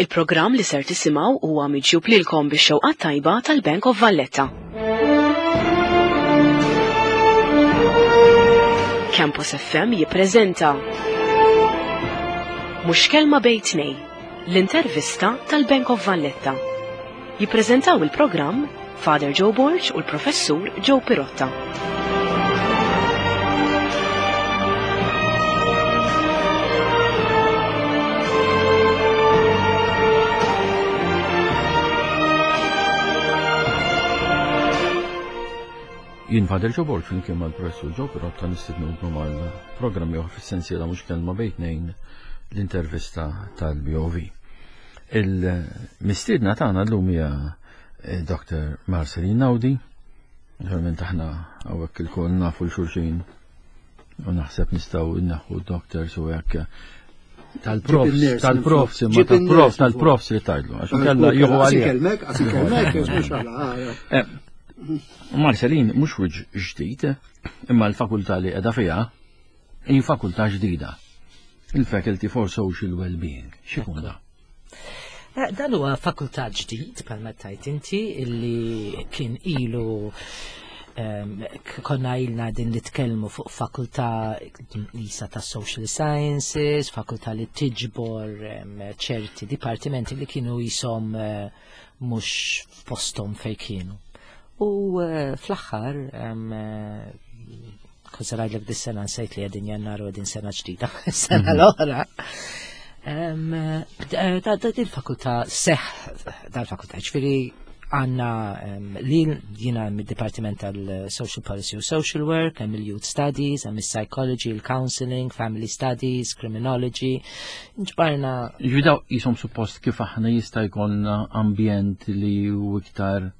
Il-programm li ser tisimgħu huwa miġjub lilkom bix-xewqat tajba tal-Bank of Valletta. Campus FM jippreżenta Mhux kelma bejn tnej, l-intervista tal-Bank of Valletta. Jippreżentaw il-programm Father Joe Borg u l-Professur Joe Pirotta. Jien Father Joe Borg flimkien mal-Professur Joe Pirotta nistednukom għal programm ieħor fis-sensiela mhux kelma bejn tnejn l-intervista tal-BOV. Il-mistiedna tagħna llum hija eh, Dr. Marceline Naudi. Naturalment aħna hawnhekk ilkoll nafu l-xulxin u naħseb nistgħu nneħħu doctors u hekk tal-profs, tal-profs, imma tal-profs, tal-profs li tajdlu, għax kella jieħu għalija. Kelmek, għax kelmek, mhux għala. Eh, Marcelin, mhux wiġ ġdid, imma l-fakultà li qiegħda fiha hi fakultà ġdida. Il-Faculty for Social Wellbeing. X'ikun da? Eh, dan huwa fakultà ġdid bħalma tajt inti illi kien ilu ehm, konna ilna din nitkellmu fuq fakultà lisa ta' social sciences, fakultà li tiġbor ehm, ċerti dipartimenti li kienu jisom eh, mhux f'posthom fejn kienu. U eh, fl-aħħar ehm, Kont se ngħidlek dis-sena nsejt li qegħdin Jannar u qegħdin sena ġdida, sena mhm. l-oħra. Eh, dil-fakultà seħ dal-fakultà, ġifieri għanna li jina mid-Dipartiment tal-Social Policy u Social Work, hemm il-Youth Studies, hemm il-Psychology, il-Counseling, Family Studies, Criminology, ġbarna. Ġidaw jisom suppost kif aħna jista' jkollna ambjent li u iktar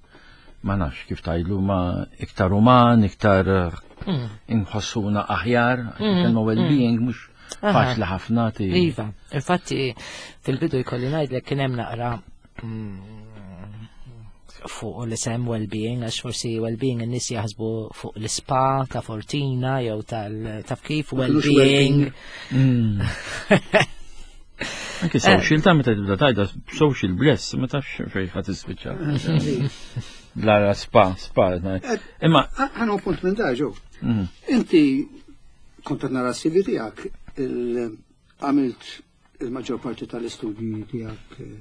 ma nafx kif tajlu ma iktar uman, iktar mm. inħossuna aħjar, mm. kelma well-being mm. mhux faċli ħafna ti. Iva, infatti fil-bidu jkolli ngħidlek kien hemm naqra fuq l-isem well-being, għax forsi well-being n-nis jaħsbu fuq l-spa ta' Fortina jew tal-taf kif well-being. Anki eh. social ta' meta tibda tajda social bless, ma tafx fejn ħadd ispiċċa. Lara spa, spa. Eh, Imma ħanu punt minn daġu. Mhm. Inti kont qed nara s-CV tiegħek għamilt il-maġġor parti tal-istudji tiegħek eh,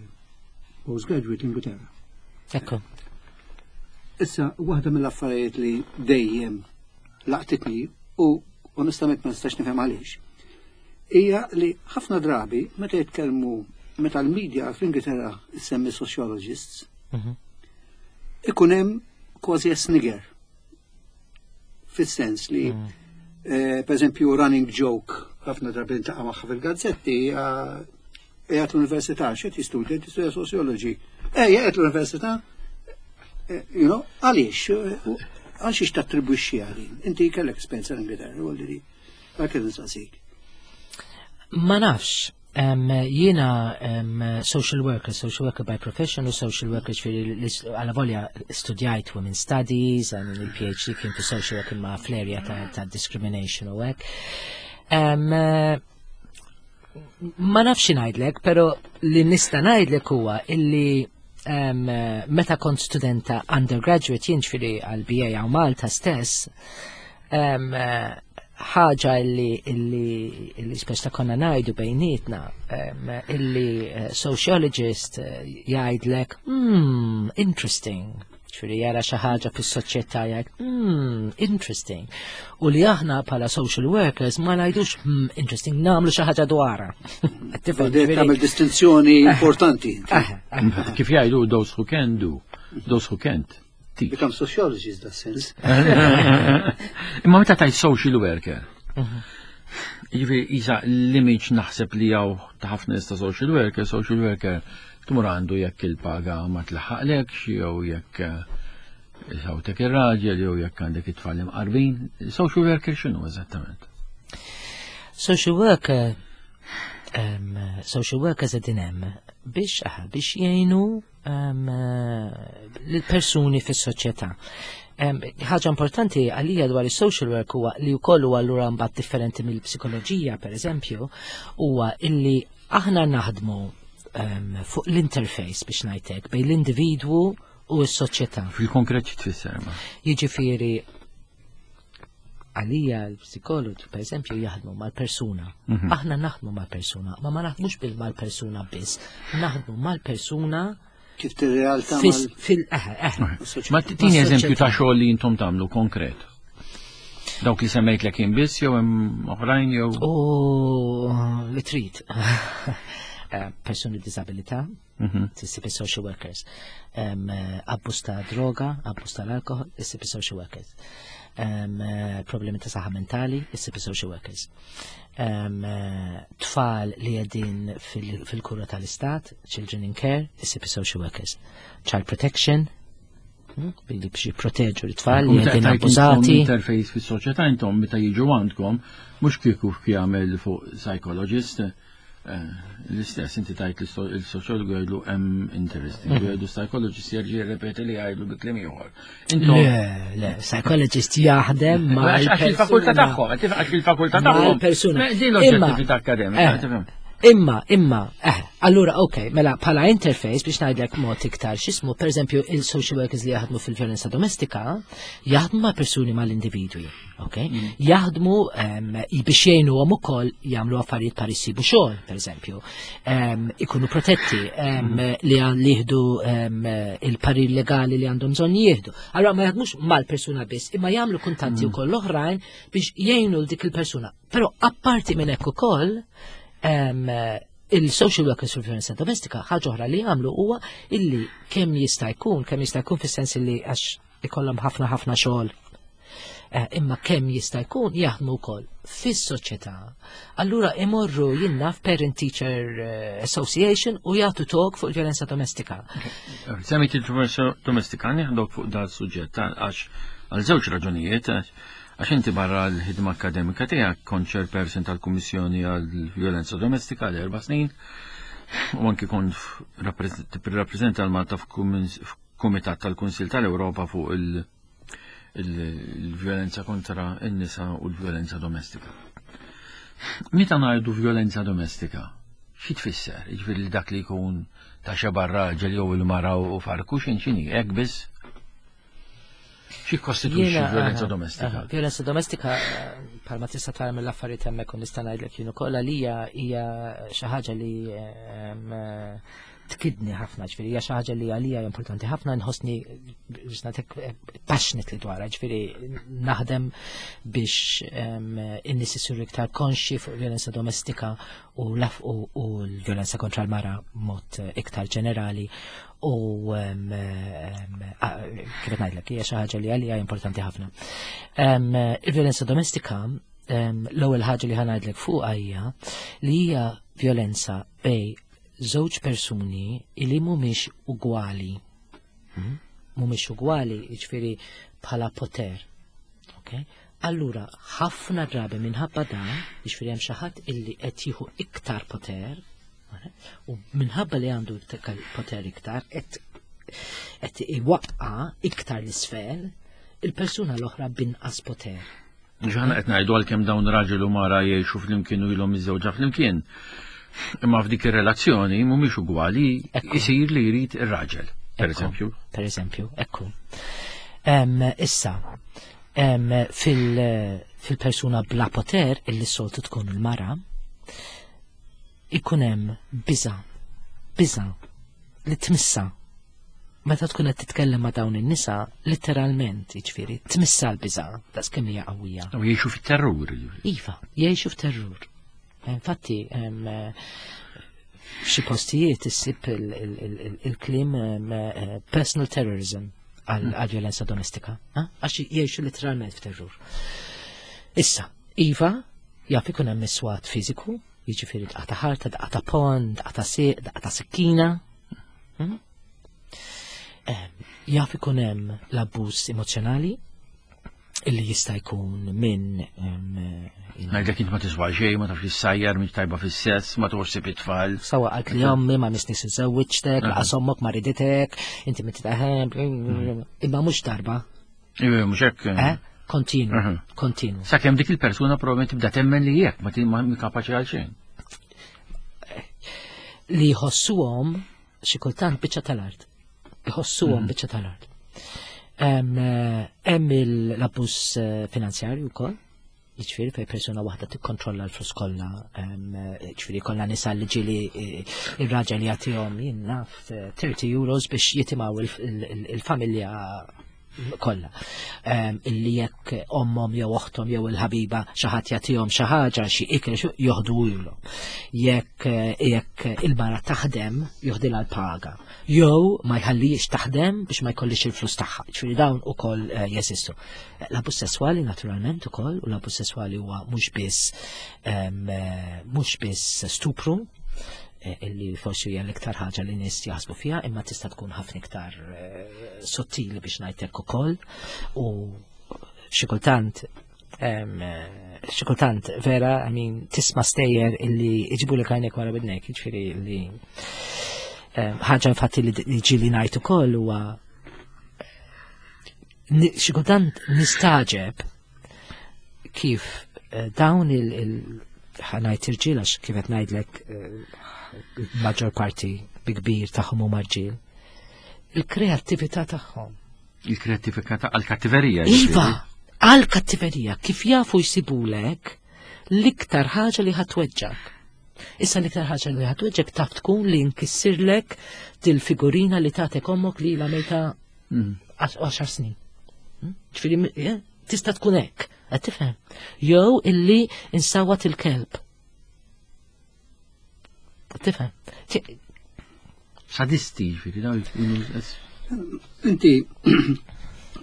postgraduate l-Ingilterra. Ekku. Issa, waħda mill-affarijiet li dejjem laqtitni u onestament ma nistax nifhem għaliex hija li ħafna drabi meta jitkellmu meta l-media fl-Ingilterra semmi sociologists, mhm. ikun hemm kważi snigger. Fis-sens li mhm. eh, per eżempju running joke ħafna drabi ntaqa' magħha fil-gazzetti qiegħed l-università x'qed jistudja jistudja sociology. Ejja qiegħed l-università eh, you know, għaliex eh, għal xiex tattribwixxi għalin. Inti kellek esperjenza l-Ingilterra, u li Dak li nsaqsik. Ma nafx. Um, jiena um, social worker, social worker by profession u social worker ġifieri għala volja studjajt women studies, I mean, il-PhD kien fi social worker ma fl-area ta', ta discrimination u hekk. Um, ma nafx ngħidlek, pero li nista' ngħidlek huwa illi um, meta kont studenta undergraduate jien ġifieri għal BA għaw Malta stess, um, ħaġa illi illi illi speċta konna ngħidu bejnietna um, illi eh, sociologist eh, jgħidlek hmm, interesting ċuri jara xi ħaġa fis-soċjetà jgħid hmm, interesting. U li aħna bħala social workers ma ngħidux hmm, interesting nagħmlu xi ħaġa dwarha. Tagħmel distinzjoni importanti. Kif jgħidu those who can do, those who can't. Teach. Become sociologist that sense. Imma meta tajt social worker. Mhm. Jiġifieri isa l-image naħseb li hawn ta' ħafna nies ta' social worker, social worker tmur għandu jekk il-paga ma tlaħħaqlekx jew jekk eh, sawtek ir-raġel jew jekk għandek it-tfal imqarbin. Social worker x'inhu eżattament? Social worker um, social workers qegħdin hemm biex ah, biex jgħinu l-persuni fis-soċjetà. Ħaġa importanti għalija dwar is-social work huwa li wkoll huwa allura mbagħad differenti mill-psikoloġija pereżempju, huwa illi aħna naħdmu. fuq l-interface biex ngħidlek bejn l-individwu u s-soċjetà. Fil-konkret xi tfisser ma? Jiġifieri għalija l-psikologi, per eżempju, jaħdmu mal-persuna. Aħna naħdmu mal-persuna, ma ma naħdmux bil mal-persuna biss, naħdmu mal-persuna Kif tir-realtà fil eħe, eħe. Ma tini eżempju ta' xogħol li intom tagħmlu konkret. Dawk li semmejt lek jien biss jew hemm oħrajn jew. U li trid. Persuni b'disabilità, tissib social workers. Abbuż ta' droga, abbuż tal-alkohol, issib social workers. Problemi ta' saħħa mentali, issib social workers. Tfal li qegħdin fil-kura tal-istat, children in care, issib social workers. Child protection, billi biex jipproteġu l-tfal li qegħdin abbużati. Interface fis-soċjetà intom meta jiġu għandkom mhux kieku jagħmel fuq psychologist, l-istess inti tajt il-soċjologu jgħidlu hemm interesting, jgħidu psychologist jerġa' jirrepeti li jgħidlu bi kliem ieħor. Intom Le, le, psychologist jaħdem ma' Għax il-fakultà tagħhom, għax il-fakultà tagħhom. Mal-persuna. Din l-oġġettività akademika, tifhem. Imma, imma, allura, ok, mela, bħala interface biex ngħidlek mod iktar x'ismu, per eżempju, il-social workers li jaħdmu fil-vjolenza domestika, jaħdmu ma' persuni mal-individwi, ok? Jaħdmu biex jgħinuhom ukoll jagħmlu affarijiet par isibu xogħol, per eżempju, ikunu protetti, li jieħdu il-parir legali li għandhom bżonn jieħdu. Allura ma jaħdmux mal-persuna biss, imma jagħmlu kuntatti wkoll l-oħrajn biex jgħinu l dik il-persuna. Però apparti minn hekk ukoll, il-social workers fil-violenza domestika ħaġa oħra li jagħmlu huwa illi kemm jista' jkun, kemm jista' jkun fis-sens illi għax ikollhom ħafna ħafna xogħol. Imma kemm jista' jkun jaħdmu wkoll fis-soċjetà. Allura imorru jinnaf Parent Teacher Association u jagħtu talk fuq il-violenza domestika. Semmejt il-violenza domestika, nieħdok fuq dal suġġett għax għal żewġ raġunijiet, għax inti barra l-ħidma akademika tiegħek kont chairperson tal-Kummissjoni għall-Violenza Domestika għal 4 snin u anki kont tirrappreżenta l-Malta f'Kumitat tal-Kunsill tal-Ewropa fuq il-violenza kontra n-nisa u l-violenza domestika. Meta ngħidu violenza domestika, xi tfisser? Jiġifieri li dak li jkun ta' xeba raġel jew il-mara u farku x'in x'inhi, hekk biss? Xi kostitwixxi violenza domestika? Violenza domestika, bħalma tista' tara mill-affarijiet hemmhekk u nista' ngħidlek jien ukoll għalija hija xi ħaġa li tkidni ħafna, ġifieri hija xi ħaġa li għalija importanti ħafna, nħossni biex nagħtik passionate li dwarha, ġifieri naħdem biex in-nies isiru iktar konxji fuq violenza domestika u laf u l-violenza kontra l-mara mod iktar ġenerali u kif qed ngħidlek hija xi ħaġa li għalija importanti ħafna. Il-violenza domestika, l-ewwel ħaġa li ħa ngħidlek fuqha hija li hija violenza bej żewġ persuni li mhumiex ugwali. Mhumiex ugwali, jiġifieri bħala poter. Ok? Allura, ħafna drabi minħabba dan, jiġifieri hemm xi ħadd illi qed jieħu iktar poter, u minħabba li għandu poter iktar, qed iwaqqa iktar l-isfel il-persuna l-oħra binqas poter. Ġaħna qed ngħidu għalkemm dawn raġel u mara jgħixu flimkien u ilhom miżżewġa flimkien. Imma f'dik ir-relazzjoni mhumiex ugwali, isir li jrid ir-raġel, per eżempju. Per eżempju, ekku. Issa, fil-persuna bla poter, illi soltu tkun il-mara, ikun hemm biża, biża li tmissa. Meta tkun qed titkellem ma' dawn in-nisa, letteralment, jiġifieri, tmissa l-biża, daqs kemm hija qawwija. U jgħixu fit-terrur, jiġifieri. Iva, jgħixu f'terrur. Infatti, f'xi postijiet issib il-kliem personal terrorism għal violenza domestika, ha? Għax jgħixu letteralment f'terrur. Issa, iva, jaf ikun hemm iswat fiżiku, jiġifieri daqqa ta' ħarta, daqqa ta' pon, daqqa ta' sieq, daqqa ta' sikkina. Jaf ikun hemm l-abbuż emozjonali illi jista' jkun minn Ngħidlek int ma tiswa xejn, ma tafx issajjar, mhix tajba fis-sess, ma toħsib it-tfal. Sawa qalt li ommi ma misni żewġtek, laqas ommok ma riditek, inti minn titaħem, imma mhux darba. Iva, mhux hekk. Kontinu, kontinu. Sakemm dik il-persuna probabbilment tibda temmen li jekk ma kapaċi għal xejn. Li jħossuhom xi kultant biċċa tal-art. Jħossuhom biċċa tal-art. Hemm l-abbuż finanzjarju wkoll, jiġifieri fejn persuna waħda tikkontrolla l-flus kollha, jiġifieri kollha nisa li ġieli ir-raġel jagħtihom jien naf 30 euros biex jitimgħu il-familja kollha. Illi jekk ommhom jew oħthom jew il-ħabiba xi ħadd jagħtihom xi ħaġa xi ikel joħdu ilhom. Jekk il-mara taħdem joħdilha l-paga. Jew ma jħallihiex taħdem biex ma jkollix il-flus tagħha. Ġifieri dawn ukoll jeżistu. L-abbuż sesswali naturalment ukoll, u l-abbuż sesswali huwa mhux biss mhux biss stupru, illi forsi hija l-iktar ħaġa li nies jaħsbu fiha, imma tista' tkun ħafna iktar sottili biex ngħidlek ukoll, u xi kultant xi kultant vera, I mean, tisma' stejjer illi iġibu lek għajnek wara bidnek, jiġifieri li ħaġa infatti li ġieli ngħid ukoll huwa xi kultant nistaġeb kif dawn il ħanajt irġiel, għax kif qed ngħidlek maġġor parti bi kbir tagħhom huma rġiel, il-kreattività tagħhom. Il-kreattività għall-kattiverija, Iva, jiġifieri? għall-kattiverija, kif jafu jsibulek l-iktar ħaġa li ħatweġġak. Issa l-iktar ħaġa li ħatweġġek taf tkun li nkissirlek dil-figurina li tagħtek ommok li la mejta 10 snin. Ġifieri, tista' tkun hekk, qed tifhem? Jew illi insawat il-kelb. Qed tifhem? Sadisti, ġifieri, daw jkunu Inti,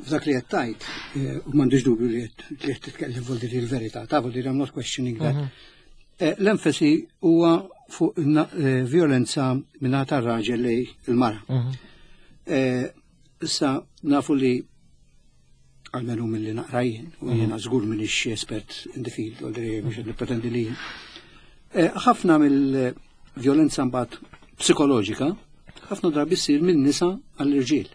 f'dak li qed tgħid, u m'għandix dubju li qed titkellem vuol dire il-verità, ta' vuol dire I'm not questioning that. L-enfasi huwa fuq violenza minn tar-raġel li il-mara. Issa nafu li għalmenu mill-li naqra jien, u jiena żgur m'iniex espert in the field, u għaldri biex nippretendi li jien. Ħafna mill-violenza mbagħad psikoloġika, ħafna drabi ssir minn nisa għall-irġiel.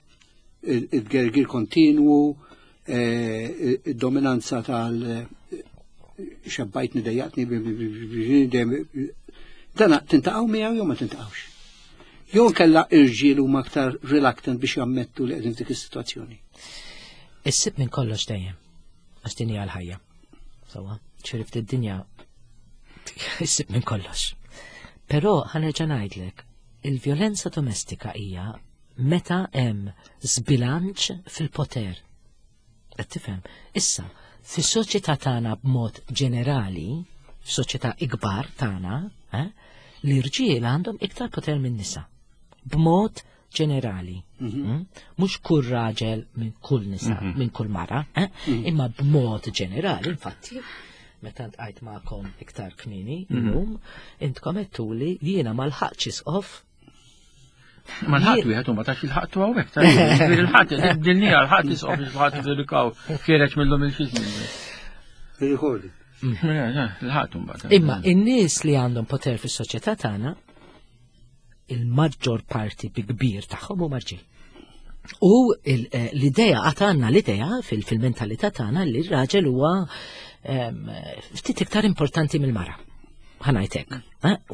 Il-gergir kontinwu, id-dominanza tal- xebbajtni, dejjaqtni, dana tintaqgħu miegħu jew ma tintaqgħux. Jew kella irġiel huma aktar reluctant biex jammettu li qegħdin f'dik is-sitwazzjoni. Issib minn kollox dejjem, għax din hija l-ħajja. Sewwa, ċirif id-dinja issib minn kollox. Però ħa nerġa' ngħidlek, il-vjolenza domestika hija meta hemm żbilanċ fil-poter. Qed tifhem? Issa, fis-soċjetà tagħna b'mod ġenerali, f'soċjetà ikbar tagħna, l-irġiel għandhom iktar poter minn nisa. B'mod ġenerali. Mhux kull raġel minn kull nisa, minn kull mara, imma b'mod ġenerali, infatti, meta ntqajt magħkom iktar kmieni illum, intkom għedtuli li jiena ma lħaqtx isqof. Ma l-ħadd wieħed u ma tax il-ħadd hawnhekk, ta' ġifieri l-ħadd, dinja l-ħadd isqof il-ħadd verikaw kiereġ minnhom il-xi żmien. Recording. Il-ħadd imbagħad. Imma in-nies li għandhom poter fis-soċjetà tagħna, il-maġġor parti bi kbir tagħhom huma rġiel. U l-idea, għad għandna l-idea fil-mentalità tagħna li r-raġel huwa ftit iktar importanti mill-mara. Ħa ngħidlek.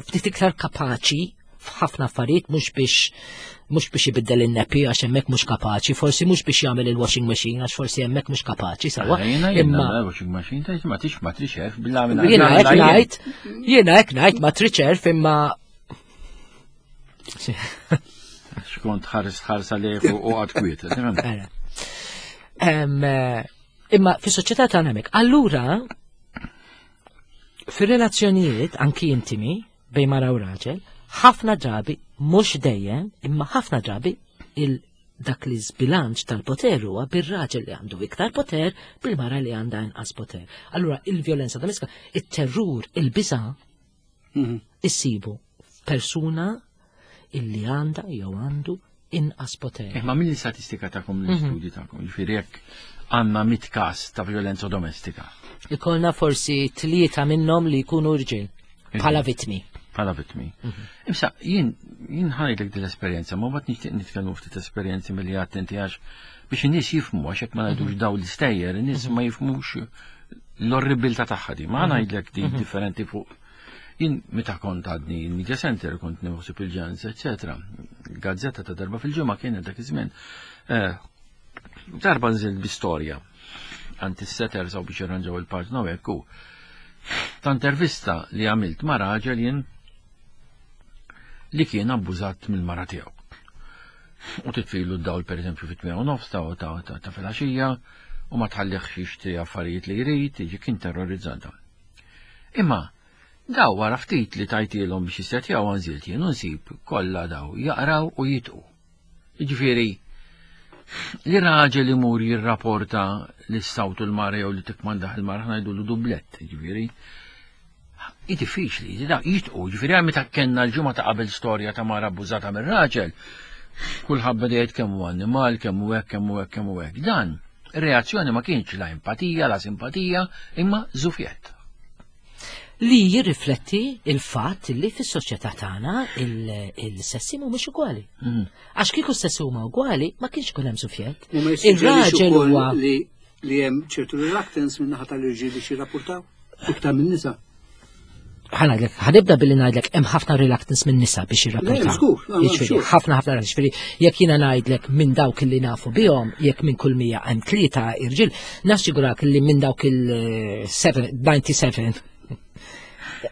U ftit iktar kapaċi f'ħafna affarijiet, mhux biex ibiddel in-nappy għax hemmhekk mhux kapaċi, forsi mhux biex jagħmel il-washing machine għax forsi hemmhekk mhux kapaċi, sewwa. Jiena jiena Imma washing machine ta' ma tix ma trix erf billi għamilha. Jiena hekk ngħid, jiena hekk ngħid ma trix erf imma Xkont ħares ħarsa li u għad kwiet, tifhem? Ara. Imma fis-soċjetà tagħna hemmhekk. Allura fir-relazzjonijiet anki intimi bejn mara u raġel, ħafna drabi, mhux dejjem, imma ħafna drabi il dak li żbilanċ tal-poter huwa bir-raġel li għandu iktar poter bil-mara li għandha inqas poter. Allura il-vjolenza domestika, it-terrur, il-biża' issibu f'persuna illi għandha jew għandu inqas poter. Imma mill-istatistika tagħkom, l-istudji tagħkom, jiġifieri jekk għandna 100 każ ta' vjolenza domestika. Ikollna forsi 3 minnhom li jkunu rġiel bħala vittmi. Bħala vittmi. Imsa, jien ħa ngħidlek din l-esperjenza, ma mbagħad nixtieq nitkellmu ftit esperjenzi milli attenti għax biex in-nies jifhmu, għax hekk ma ngħidux daw l-istejjer, in-nies ma jifhmux l-orribilità tagħha di. Ma ngħidlek di differenti fuq. Jien meta kont għadni il-media center, kont nieħu il-ġans, eccetera. Gazzetta ta' darba fil-ġimgħa kienet dak iż-żmien. Eh, darba nżilt bi storja għand is-setters u biex jirranġaw il-paġna u hekk u ta' intervista li għamilt ma' raġel jien li kien abbużat mill-mara tiegħu. U titfilu d-dawl per eżempju fit u nofs ta' ta' ta' filgħaxija u ma tħallihx jixtri affarijiet li jrid, jiġi kien terrorizzata. Imma daw wara ftit li tajtilhom biex jissetjaw għanżilt jien u nsib kollha daw jaqraw u jitqu. Jiġifieri li raġel imur jirrapporta li sawtu l-mara jew li tikmandaħ il-mara ngħidulu dublett, jiġifieri hi diffiċli, da jitqu, ġifieri għal meta kellna l-ġimgħa ta' qabel storja ta' mara abbużata mir-raġel, kulħadd beda jgħid kemm hu annimal, kemm hu hekk, kemm hu hekk, kemm hu hekk. Dan, ir-reazzjoni ma kienx la empatija, la simpatija, imma żufjett. Li jirrifletti il-fatt li fis-soċjetà tagħna il-sessi mhumiex ugwali. Għax kieku s-sessi huma ugwali, ma kienx ikun hemm żufjett. U ma jissuġġerix Ir-raġel ukoll huwa li hemm ċertu reluctance minn naħa tal-irġiel biex jirrapportaw iktar minn nisa. Ħa ngħidlek, ħa nibda billi ngħidlek hemm ħafna reluctance minn nisa biex jirrapportaw. Le, żgur, no, no, Jiġifieri, sure. ħafna ħafna jiġifieri, jekk jiena ngħidlek minn dawk li nafu bihom, jekk minn kull 100 hemm tlieta irġiel, nassigurak li minn dawk il-97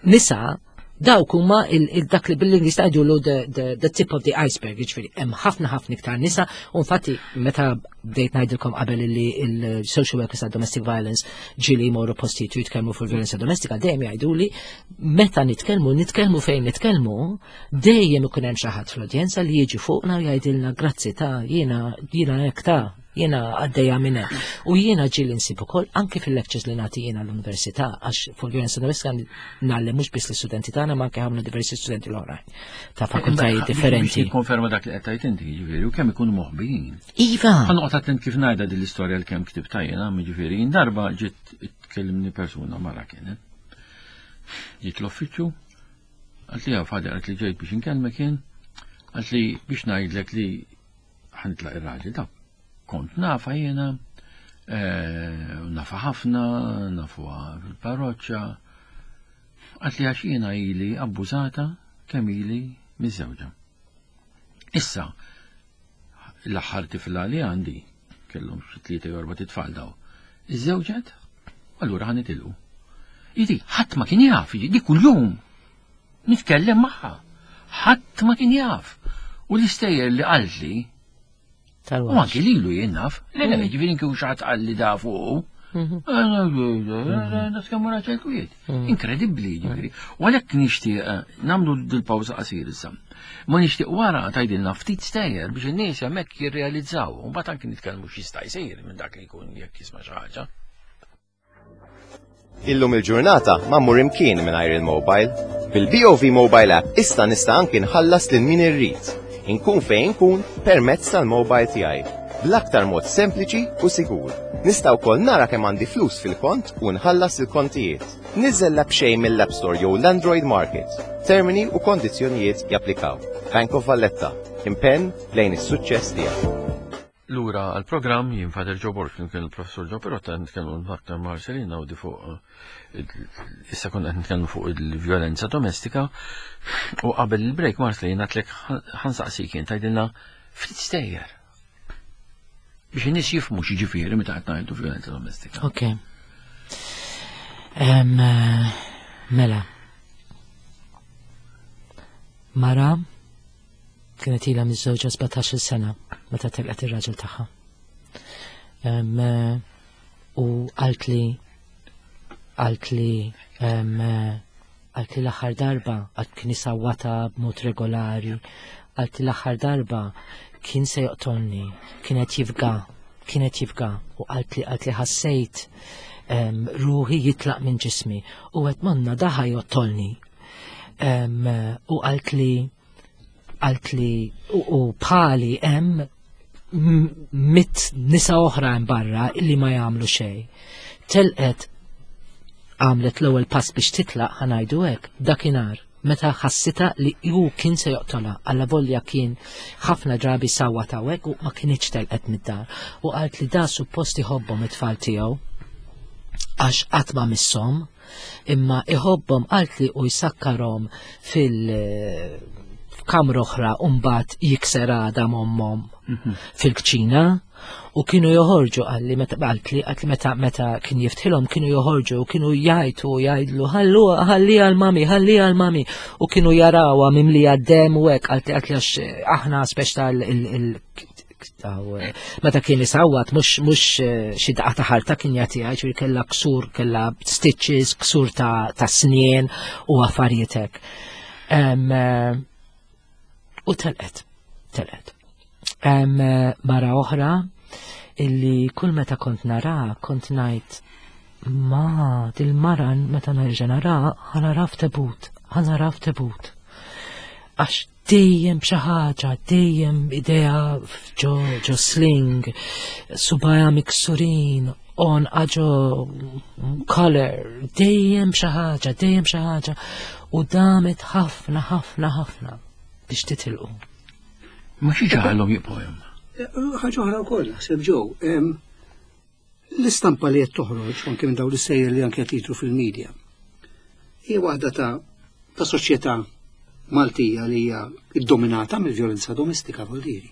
nisa dawk huma dak li bil-Ingliż tgħidulu the tip of the iceberg, jiġifieri hemm ħafna ħafna iktar nisa, u infatti meta bdejt ngħidilkom qabel li il-social workers ta' domestic violence ġieli jmorru postijiet u jitkellmu fuq violenza domestika, dejjem jgħiduli meta nitkellmu, nitkellmu fejn nitkellmu, dejjem ikun hemm xi ħadd fl-udjenza li jiġi fuqna u jgħidilna grazzi ta' jiena hekk ta' jiena għaddejja minn hekk. U jiena ġieli nsib ukoll anke fil-lectures li nagħti jiena l-università, għax fuq violenza domestika ngħallem mhux biss l-istudenti tagħna ma anke ħafna diversi studenti l-oħrajn ta' fakultajiet differenti. Konferma dak li qed tgħid inti, jiġifieri, u kemm ikunu moħbijin. Iva. Ħa noqgħod attent kif ngħidha din l-istorja li kemm ktibta jiena, jiġifieri, jien darba ġiet tkellimni persuna mara kienet. Ġiet l-uffiċċju, għalt li Father, għalt li ġejt biex inkellmek jien, għalt li biex ngħidlek li ħa nitlaq ir-raġel da. Kont nafa jiena, nafa ħafna, nafuha fil-parroċċa. Għalt li għax jiena ili abbużata kemm ili miżżewġa. Issa, l-aħħar tifla li għandi, kellhom xi tlieta jew erba' titfal daw. Iżżewġet, allura ħa nitilqu. Jiġi, ħadd ma kien jaf, jiġi, di kuljum nitkellem magħha. Ħadd ma kien jaf. U l-istejjer li qaltli, u anki lilu jien naf, le le, ġifieri kieku xi ħadd qalli da fuqu. Kemm raġel kwiet. Inkredibbli, ġifieri. U għalhekk nixtieq nagħmlu dil-pawża qasir issa. Ma nixtieq wara tgħidilna ftit stejjer biex in-nies hemmhekk jirrealizzaw u mbagħad anki nitkellmu x'jista' jsir minn dak li jkun jekk jisma' xi ħaġa. Illum il-ġurnata ma mmur imkien mingħajr il-mobile. Bil-BOV Mobile App issa nista' anki nħallas lil min irrid. Inkun fejn inkun permezz tal-mobile tiegħi. Bl-aktar mod sempliċi u sigur. Nista' wkoll nara kemm għandi flus fil-kont u nħallas il-kontijiet. Niżel l-app xejn mill-App Store jew l-Android Market. Termini u kondizzjonijiet japplikaw. Bank of Valletta. Impenn lejn is-suċċess tiegħek. Lura għal-programm jien Father Joe Borg kien il-professur Joe Pirotta nitkellmu aktar Marcelina u di fuq issa konna qed nitkellmu fuq il-vjolenza domestika u qabel il-break Marcelina għedtlek ħa nsaqsik jien tgħidilna ftit stejjer biex in-nies jifhmu x'jiġifieri meta qed ngħidu vjolenza domestika. Ok. Mela. Mara kienet ilha miżżewġa 17-il sena meta telqet ir-raġel tagħha. U għalt li l-aħħar darba għalt kien isawwata b'mod regolari, għalt li l-aħħar darba kien se joqtolni, kienet jifga, kienet jifga, u għalt li ħassejt ruħi jitlaq minn ġismi u għedt monna daħa joqtolni. U għalt li għalt li u bħali hemm mit nisa oħra hemm barra illi ma jagħmlu xejn. Telqet għamlet l-ewwel pass biex titlaq ħa ngħidu hekk dakinhar meta ħassita li hu kien se joqtolha alla volja kien ħafna drabi sawa tawek u ma kienx telqet mid-dar. U qalt li da suppost iħobbhom it-tfal tiegħu. Għax qatt ma misshom, imma iħobbhom qaltli u jsakkarhom fil f'kamra oħra u mbagħad jikser għadam ommhom fil-kċina u kienu joħorġu qalli meta qaltli qaltli meta meta kien jiftħilhom kienu joħorġu u kienu jgħajtu u jgħidlu ħallu ħalli għal mami ħalli għal mami u kienu jarawha mimlija dem u hekk qaltli qaltli għax aħna speċ tal il Eh, meta kien isawwat mhux mhux eh, xi daqqa ta' ħarta kien jagħtiha, ġifieri kellha ksur, kellha stitches, ksur ta', ta snien u affarijiet hekk. Eh, u telqet, telqet. Mara oħra illi kull meta kont nara kont ngħid ma dil-mara meta nerġa' nara ħanara f'tebut, ħanara f'tebut. Għax dejjem b'xi ħaġa, dejjem idea ġo ġo sling, subaja miksurin, on ġo color, dejjem b'xi ħaġa, dejjem xi ħaġa. U damet ħafna, ħafna, ħafna biex titilqu. Ma xi ġaħalhom jibqgħu hemm. Ħaġa oħra wkoll, naħseb ġew. L-istampa li qed toħroġ anke minn dawn l-istejjer li anke qed jidhru fil-media hija waħda ta' ta' soċjetà Maltija li hija ddominata mill-vjolenza domestika vuol diri.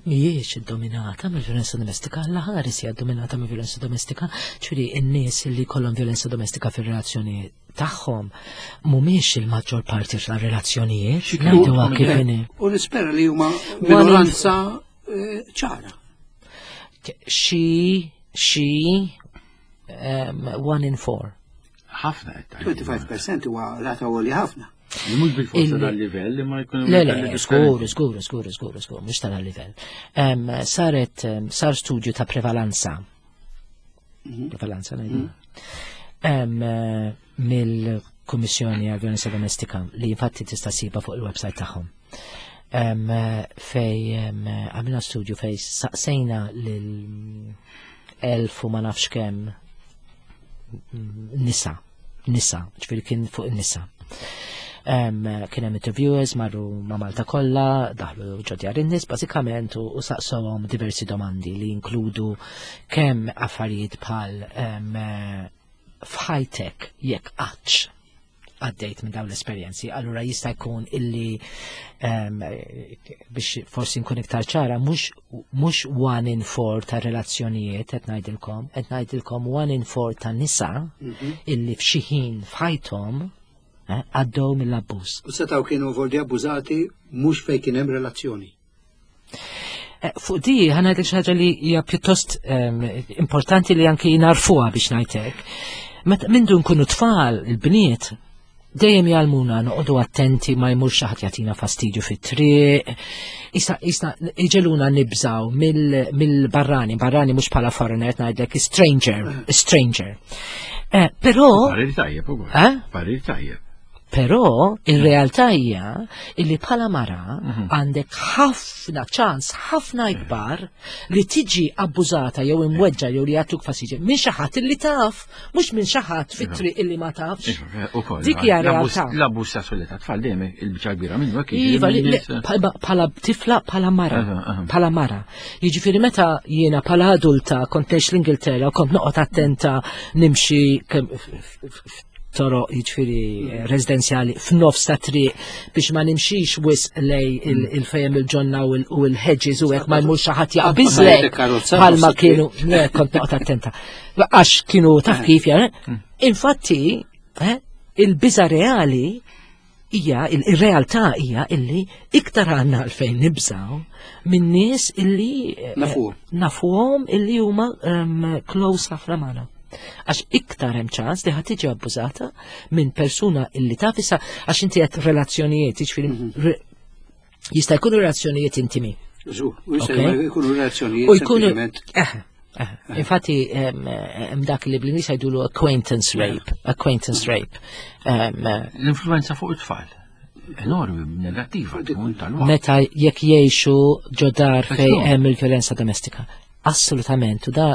Mhijiex iddominata mill-vjolenza domestika, alla ħares hija ddominata mill-vjolenza domestika, ċuri n-nies li jkollhom vjolenza domestika fir-relazzjoni tagħhom mhumiex il-maġġor parti tal-relazzjonijiet. Ngħiduha kif inhi. U nispera li huma minoranza eh, ċara. Xi xi one in four. Ħafna qed 25% huwa rata għoli ħafna. Mhux bil-forsa tal-livell li ma jkun Le, le, żgur, żgur, żgur, żgur, żgur, mhux tal-livell. Saret sar studju ta' prevalanza. Prevalanza ngħidu. Eh, mill-Kummissjoni għal Violenza Domestika li infatti tista' siba fuq il-website tagħhom. Fej għamilna studju fej saqsejna lil elf u ma nafx kemm nisa, nisa, ġifieri kien fuq in-nisa. Kien hemm interviewers marru ma' Malta kollha, daħlu ġo djar in-nies bażikament u saqsewhom diversi domandi li jinkludu kemm affarijiet bħal f'ħajtek jekk qattx għaddejt minn dawn l-esperjenzi, allura jista' jkun illi biex forsi nkun iktar ċara, mhux one in four ta' relazzjonijiet qed ngħidilkom, qed ngħidilkom one in four ta' nisa illi f'xi ħin f'ħajthom eh, għaddew mill-abbuż. U setgħu kienu voldi abbużati mhux fejn kien hemm relazzjoni. Eh, fuq di ħana xi ħaġa li hija pjuttost importanti li anki narfuha biex ngħidlek. Meta mindu nkunu tfal, il-bniet, dejjem jgħallmuna noqogħdu attenti ma jmurx xi ħadd jagħtina fastidju fit-triq. Issa issa iġeluna nibżaw mill-barrani, barrani mhux bħala foreigner ngħidlek stranger, stranger. Eh, però Parir tajjeb ukoll. Eh? Parir tajjeb. Però ir-realtà hija illi bħala mara għandek ħafna ċans ħafna ikbar li tiġi abbużata jew imweġġa jew li jagħtuk fastidju minn xi ħadd illi taf, mhux minn xi ħadd fit-triq illi ma tafx. Ukoll. Dik hija realtà. L-abbuż sesswali ta' tfal dejjem il-biċċa kbira minnu hekk jiġri Iva, minn nies- bħala tifla bħala mara, Aha, aha. bħala mara. Jiġifieri meta jiena bħala adulta kont ngħix l-Ingilterra u kont noqgħod attenta nimxi kemm toroq jiġifieri eh, residenzjali f'nofs ta' triq biex ma nimxix wisq lej il-fejem il-ġonna u l-hedges u hekk ma jmurx xi ħadd jaqbiżlek karozza bħalma nofs it-triq. kienu le, kont noqgħod attenta. Għax kienu taf kif ja. Infatti, eh, il-biża reali hija il-realtà hija illi iktar għandna għalfejn nibżaw minn nies illi eh, Nafuhom. nafuhom illi huma close ħafna magħna. Għax iktar hemm ċans li ħadd tiġi abbużata minn persuna illi taf issa għax inti qed relazzjonijiet, jiġifieri jista' jkunu relazzjonijiet intimi. Żgur, u jista' Ok. jkunu relazzjonijiet U jkunu. sempliċement. Eh, eh. Infatti, hemm dak li bl-Ingliż jgħidulu acquaintance rape, acquaintance rape. L-influenza fuq it-tfal. Enormi, negattiva, tkun tal-waqt. Meta jekk jgħixu ġo dar fej Ekku. hemm il-vjolenza domestika. Assolutament, u da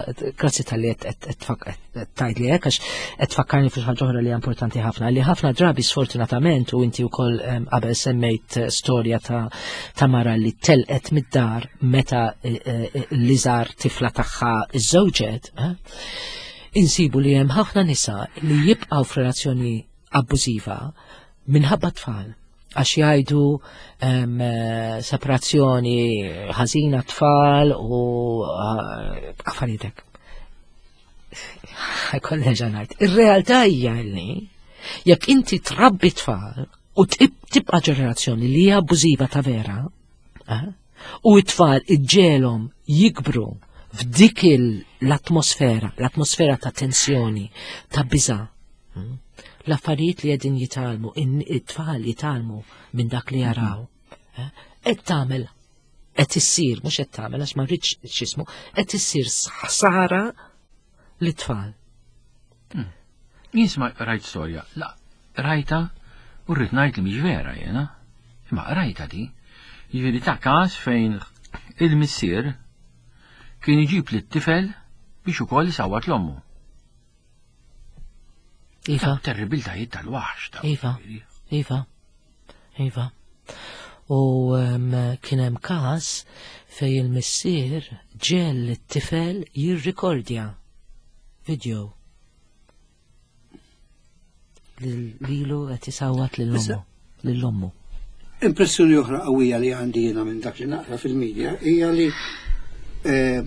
grazzi tal-li qed tgħid li hekk għax qed tfakkarni fi ħaġa oħra li hija importanti ħafna, li ħafna drabi sfortunatament u inti wkoll qabel semmejt eh, storja ta' ta' mara li telqet mid-dar meta eh, eh, l-iżgħar tifla tagħha iżżewġet, eh? Insibu li hemm ħafna nisa li jibqgħu f'relazzjoni abbużiva minħabba tfal għax jgħidu separazzjoni ħażina tfal u eh, affarijiet hekk. Kolleġa ngħid. Ir-realtà hija li jekk inti trabbi tfal u tibqa' ġenerazzjoni li hija abbużiva ta' vera, eh, u t-tfal iġġelhom jikbru f'dik l-atmosfera, l-atmosfera ta' tensjoni, ta' biża', hmm, l-affarijiet li qegħdin jitgħallmu, it-tfal jitgħallmu minn dak li jaraw, eh, qed tagħmel qed issir, mhux qed tagħmel għax ma rridx x'ismu, qed issir ħsara lit-tfal. Hmm. Jien sma rajt storja, la rajta u rrid ngħid li mhix vera jiena. Imma rajta di. Jiġifieri ta' każ fejn il-missier kien iġib lit-tifel biex ukoll isawwat l-ommu. Iva. Terribiltajiet tal-waħx ta' Iva. Iva. Iva. U um, kien hemm każ fej il-missier ġel it-tifel jirrikordja video lilu qed isawwat lil ommu. Lil ommu. Impressjoni oħra qawwija li għandi jiena minn dak li naqra fil-medja hija li eh,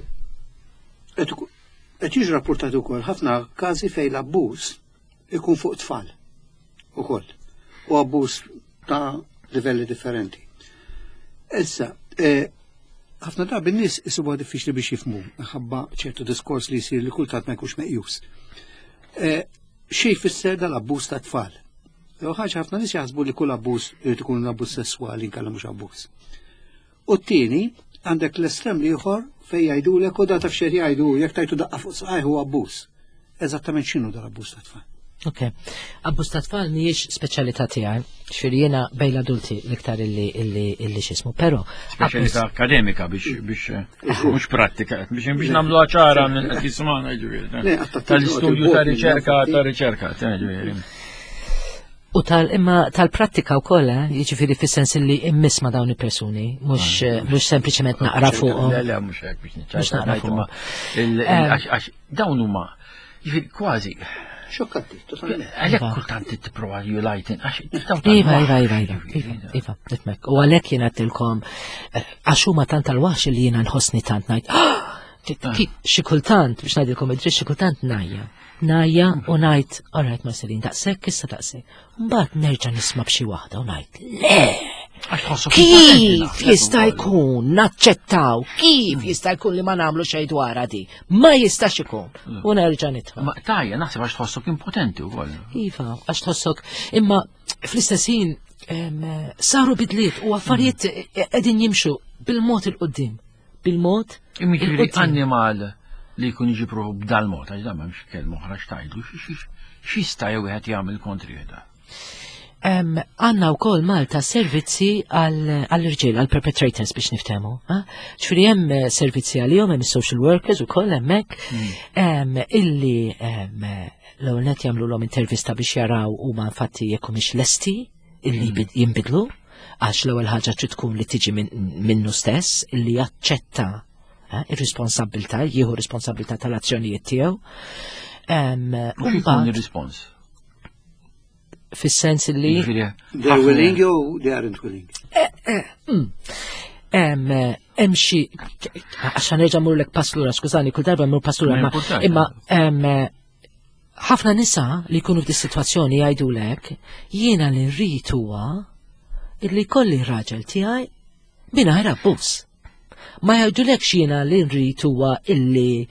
qed jiġu rapportati wkoll ħafna każi fejn l-abbuż ikun fuq tfal ukoll u abbuż ta' livelli differenti. Issa, eh, ħafna drabi n-nies isibuha diffiċli biex jifhmu minħabba ċertu diskors li jsir li kultant ma jkunx meqjus. Eh, xi jfisser dal-abbuż ta' tfal? Jew ħaġa ħafna nies jaħsbu li kull abbuż irid ikun abbuż sesswali inkella mhux abbuż. U t-tieni, għandek l-estrem l-ieħor fejn jgħidulek u da taf xejn jgħidu jekk tajtu daqqa fuq saqajh huwa abbuż. Eżattament x'inhu dal-abbuż ta' tfal? Ok. Abbuż ta' tfal mhijiex speċjalità tiegħi, xfir jiena bejn l-adulti l-iktar illi illi illi x'ismu, però speċjalità akademika biex biex eh, mhux prattika biex biex nagħmlu ċara minn qed jismagħna ġifieri. Tal-istudju ta' riċerka ta' riċerka, ġifieri. U tal imma tal-prattika wkoll, eh, jiġifieri fis-sens li immiss ma' dawn il-persuni, mhux ah. eh, mhux sempliċement naqra fuqhom. Le, le, mhux hekk biex niċċajta. Naqra fuqhom. Eh. Għax dawn huma jiġifieri kważi Xokkanti, totalment. Għalhekk iva. kultant tipprova you lighten għax Iva, iva, iva, iva, iva, iva, nifmek. U għalhekk jien għedtilkom għax huma tant tal-waħx li jiena nħossni tant ngħid. Ah! Ah. Xi kultant biex ngħidilkom id-dritt xi kultant ngħajja Najja u ngħid, all right Marcelin, daqshekk issa daqshekk. Mbagħad nerġa' nisma' b'xi waħda u ngħid, le! Kif jista' jkun naċċettaw? Kif jista' jkun li ma nagħmlu xejn dwarha di? Ma jistax ikun. Mm. U nerġa' nitfa'. Ma tajja naħseb għax tħossok impotenti wkoll. Iva, għax tħossok imma fl-istess ħin saru bidliet u affarijiet mm. qegħdin jimxu bil-mod il-qudiem. bil-mod. Imma jiġifieri annimal li jkun iġib ruħu b'dal-mod, għax dan m'hemmx kelma oħra x'tgħidlu, x'jista' jew wieħed jagħmel kontrih da? Għanna u kol Malta servizzi għall-irġiel, għall-perpetrators biex niftemu. Ġifieri hemm eh, servizzi għalihom, hemm social workers u koll hemmhekk hmm. illi l-ewwel net jagħmlu intervista biex jaraw huma infatti jekk humiex lesti illi mm. jinbidlu għax l-ewwel ħaġa trid tkun li tiġi minnu stess illi jaċċetta eh, ir-responsabbiltà, jieħu responsabbiltà tal-azzjonijiet tiegħu. U jkun ir-rispons? Fis-sens li They're willing jew they aren't willing? Eh, eh, mm. Hemm xi għax nerġa' murlek pass lura, skużani, kull darba mmur pass lura, imma ħafna nisa li jkunu f'di situazzjoni jgħidulek jiena li rrid huwa illi jkolli raġel tiegħi mingħajr abbuż. Ma jgħidulekx jiena li rrid huwa illi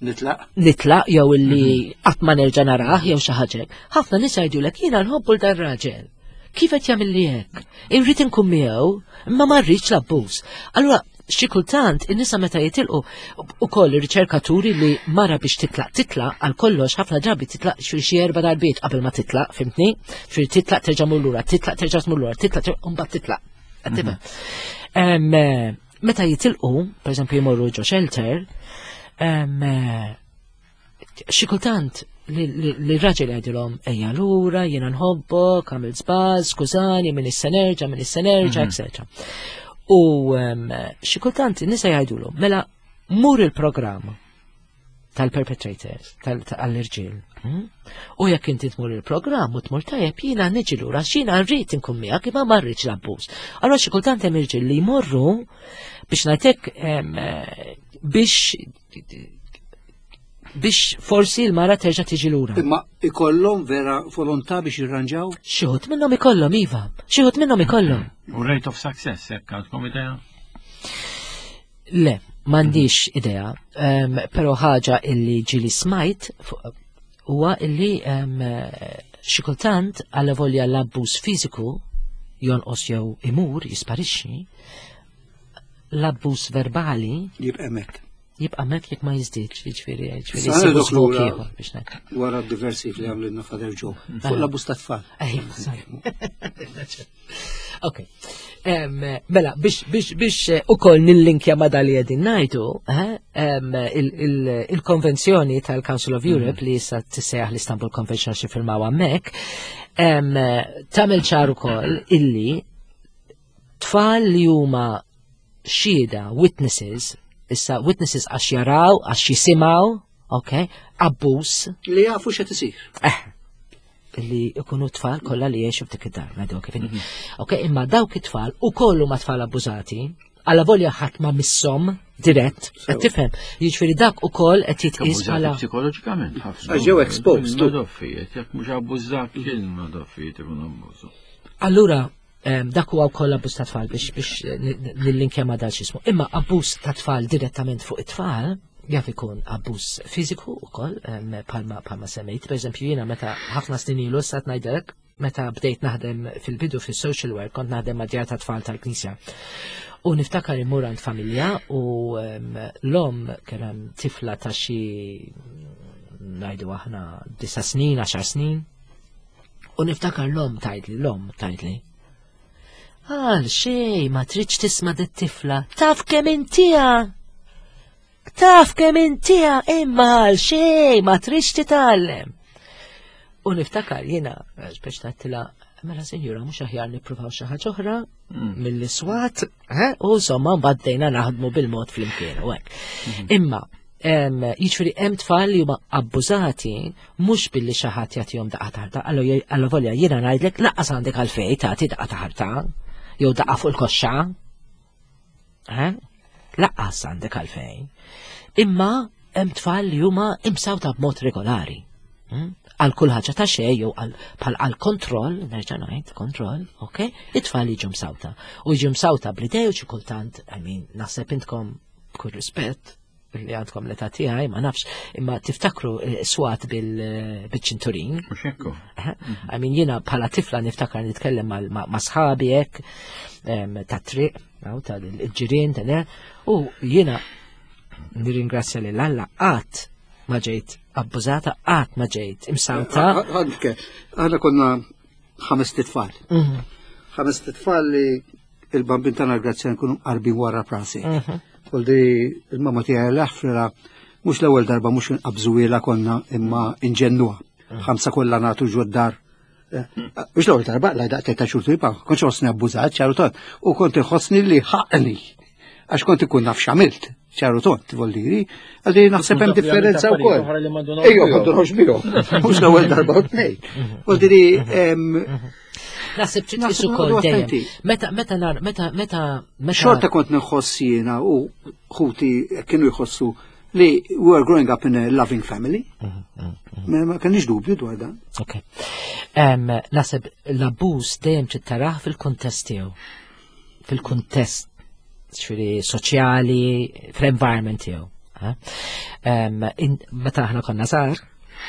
nitlaq nitlaq jew illi mhm. qatt ma nerġa' narah jew xi ħaġa. Ħafna nisa jgħidulek jiena nħobbu l dan raġel. Kif qed jagħmel li hekk? Irrid inkun miegħu, imma ma rridx l-abbuż. Allura xi kultant in-nisa meta jitilqu ukoll ir-riċerka turi li mara biex titlaq titlaq għal kollox ħafna drabi titlaq xi xi erba' darbiet qabel ma titlaq, fimtni? Fir titlaq terġa' mur lura, titlaq terġa' tmur lura, titlaq u mbagħad titlaq. Qed tifhem? Mhm. Eh, meta jitilqu, pereżempju jmorru ġo shelter, eh, xi kultant li raġel jgħidilhom ejja lura, jiena nħobbok, għamil żball, skużani, minn issa nerġa', minn issa nerġa', mhm. etc. U xi kultant nisa jgħidulhom, mela mur il-programm. Tal-perpetrators, tal-irġiel. U jekk inti tmur il-programm u tmur tajjeb jiena niġi lura x'jiena rrid inkun miegħek imma ma rridx l-abbuż. Allura xi kultant hemm irġiel li jmorru biex ngħidlek biex biex forsi l-mara terġa' tiġi lura. Imma ikollhom vera volontà biex jirranġaw? Xi wħud minnhom ikollhom iva, xi wħud minnhom ikollhom. U rate of success hekk għandkom idea? Le, m'għandix idea, però ħaġa illi ġili smajt huwa illi xi kultant għal volja l-abbuż fiżiku jonqos jew imur jisparixxi, l-abbuż verbali jibqa' hemmhekk. Jibqa' hemmhekk jekk ma jiżdiedx, jiġifieri jiġifieri jsibu żmok ieħor biex ngħid. Wara d-diversi li għamlilna Father Joe fuq l-abbuż tat-tfal. Ok. Mela, biex biex biex eh, ukoll nillinkja ma dali qegħdin ngħidu, eh, il-konvenzjoni tal-Council of Europe li issa tissejjaħ l-Istanbul Convention xi firmaw hemmhekk, tagħmel ċar ukoll illi tfal li huma xhieda, witnesses, issa witnesses għax jaraw, għax jisimgħu, ok, abbuż. Li jafu x'qed isir. Eh, li ikunu tfal kollha li jgħixu f'dik id-dar, ngħidu kif inhi. Ok, imma dawk it-tfal ukoll huma tfal abbużati, alla volja ħadd ma misshom dirett, qed tifhem. Jiġifieri dak ukoll qed jitqies bħala psikoloġikament ħafna. Għax ġew exposed. Madoffijiet, jekk mhux abbużat kien madoffijiet ikun abbużu. Allura, dak huwa wkoll abbuż ta' tfal biex biex nillinkja ma' dal xismu. Imma abbuż ta' tfal direttament fuq it-tfal jaf ikun abbuż fiżiku wkoll bħalma bħalma semmejt. Pereżempju jiena meta ħafna snin ilu sa ngħidlek meta bdejt naħdem fil-bidu fis-social work kont naħdem ma' djar ta' tfal tal-Knisja. U niftakar immur għand familja u l-omm kellha tifla ta' xi ngħidu aħna disa' snin, għaxar snin. U niftakar l-omm tgħidli, l-omm tgħidli. Għal xej, ma tridx tisma' dit-tifla, taf kemm intija! Taf kemm intija, imma għal xej, ma tridx titgħallem. U niftakar jiena, biex tgħidtilha, mela sinjura mhux aħjar nippruvaw xi ħaġa oħra mill-iswat, eh? u insomma mbagħad bdejna naħdmu bil-mod flimkien u hekk. Imma jiġifieri hemm tfal li huma abbużati mhux billi xi ħadd jagħtihom daqqa ta' ħarta, allo volja jiena ngħidlek lanqas għandek għalfejn tagħti daqqa ta' ħarta jew daqqa fuq il-koxxa. Eh? Lanqas għandek għalfejn. Imma hemm tfal li huma imsawta b'mod regolari. Għal kull ħaġa ta' xejn jew bħal għal kontroll, nerġa' ngħid, kontroll, ok? It-tfal jiġu msawta. U jiġu msawta bl-idej u xi kultant, I mean, naħseb intkom b'kull rispett li għandkom l-età tiegħi, ma nafx, imma tiftakru eh, swat eh, bil-ċinturin. Mhux hekk. Eh, I mean jiena bħala tifla niftakar nitkellem ma' sħabi hekk ta' triq, tal-ġirien, u jiena nirringrazzja lil Alla qatt ma ġejt abbużata, qatt ma ġejt imsawta. Anke, aħna konna ħames titfal. Ħames titfal li il-bambin tagħna grazzja nkunu qarbin wara prasi. Koldi il-mamma tiegħi l-aħfra mhux l-ewwel darba mhux inqabżuwiela konna imma inġennuha. Ħamsa kollha nagħtu ġod-dar. Eh, mhux l-ewwel darba la daqt ta' xurtu jibqa' kontx ħossni abbużat ċaru tont u kont inħossni li ħaqni għax kont ikun naf x'għamilt ċaru tont voldiri, għalli naħseb hemm differenza wkoll. Ejja, ma ndunawx bihom. Mhux l-ewwel darba u tnejn. Voldiri Naħseb trid tqis ukoll dejjem. Meta meta nar meta meta meta Xorta kont nħoss jiena u ħuti kienu jħossu li we were growing up in a loving family. Ma kenniex dubju dwar dan. Ok. Naħseb l-abbuż dejjem trid tarah fil-kuntest tiegħu. Fil-kuntest ġifieri soċjali, fl-environment tiegħu. Meta aħna konna żgħar,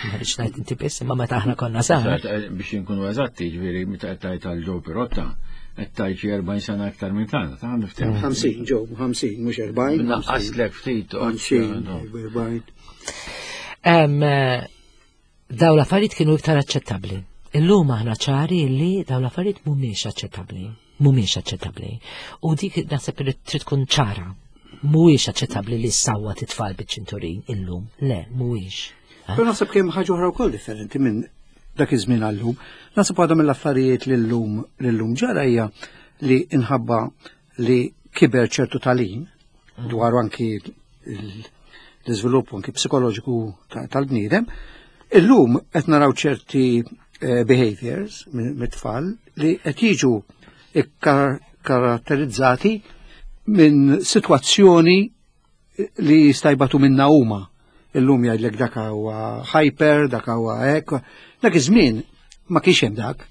ma rridx ngħid inti biss, imma meta aħna konna żgħar. Eh, biex inkunu eżatti, ġifieri meta qed tgħid għal Joe Pirotta, qed tgħid xi 40 sena aktar minn tagħna, ta' niftehmu. 50 Joe, 50 mhux 40. Naqqaslek ftit. 50, 40. Eh, daw l-affarijiet kienu iktar aċċettabbli. Illum aħna ċari li daw l-affarijiet mhumiex aċċettabbli. Mhumiex aċċettabbli. U dik naħseb li trid tkun ċara. Mhuwiex aċċettabbli li ssawwa titfal biċ-ċinturin illum. Le, mhuwiex. Però naħseb kemm ħaġa oħra wkoll differenti minn dak iż-żmien għallum. Naħseb waħda mill-affarijiet li llum li llum ġara hija li inħabba li kiber ċertu talim dwar anki l-iżvilupp anki psikoloġiku tal-bniedem. Illum qed naraw ċerti eh, behaviors mit-tfal li qed jiġu karatterizzati minn sitwazzjoni li jista' jbatu minna huma. Illum jgħidlek dak huwa hyper, dak huwa hekk. Dak iż-żmien ma kienx hemm dak.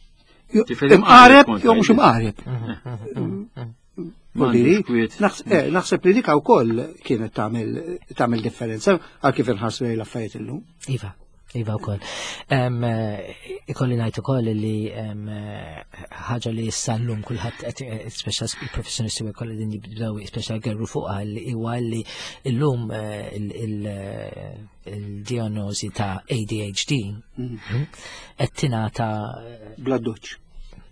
Imqareb jew mhux imqareb. Eh, naħseb li dik wkoll kienet tagħmel differenza għal kif inħarsu lejn l-affarijiet illum. Iva. Iva wkoll. Eh, ikolli ngħid ukoll li eh, ħaġa li issa llum kulħadd qed eh, speċa il-professjonisti u kollha din jibdew speċa gerru fuqha li huwa li llum il-diagnosi ta' ADHD mhm. qed tingħata bla doċċ.